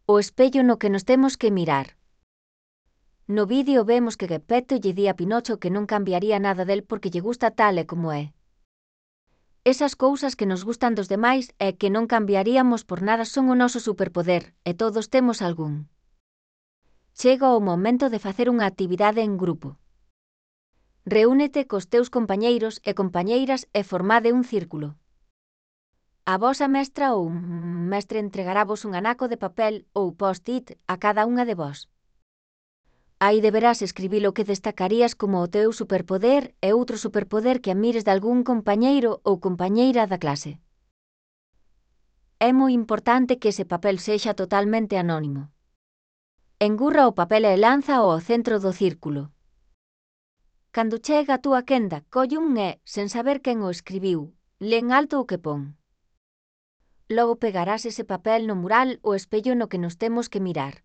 O espello no que nos temos que mirar. No vídeo vemos que Geppetto lle di a Pinocho que non cambiaría nada del porque lle gusta tal e como é. Esas cousas que nos gustan dos demais e que non cambiaríamos por nada son o noso superpoder, e todos temos algún. Chega o momento de facer unha actividade en grupo. Reúnete cos teus compañeiros e compañeiras e formade un círculo. A vosa mestra ou mestre entregaravos un anaco de papel ou post-it a cada unha de vós. Aí deberás escribir o que destacarías como o teu superpoder e outro superpoder que admires de algún compañeiro ou compañeira da clase. É moi importante que ese papel sexa totalmente anónimo. Engurra o papel e lánzao ao centro do círculo. Cando chega a túa quenda, colle un e, sen saber quen o escribiu, len alto o que pon. Logo pegarás ese papel no mural ou espello no que nos temos que mirar.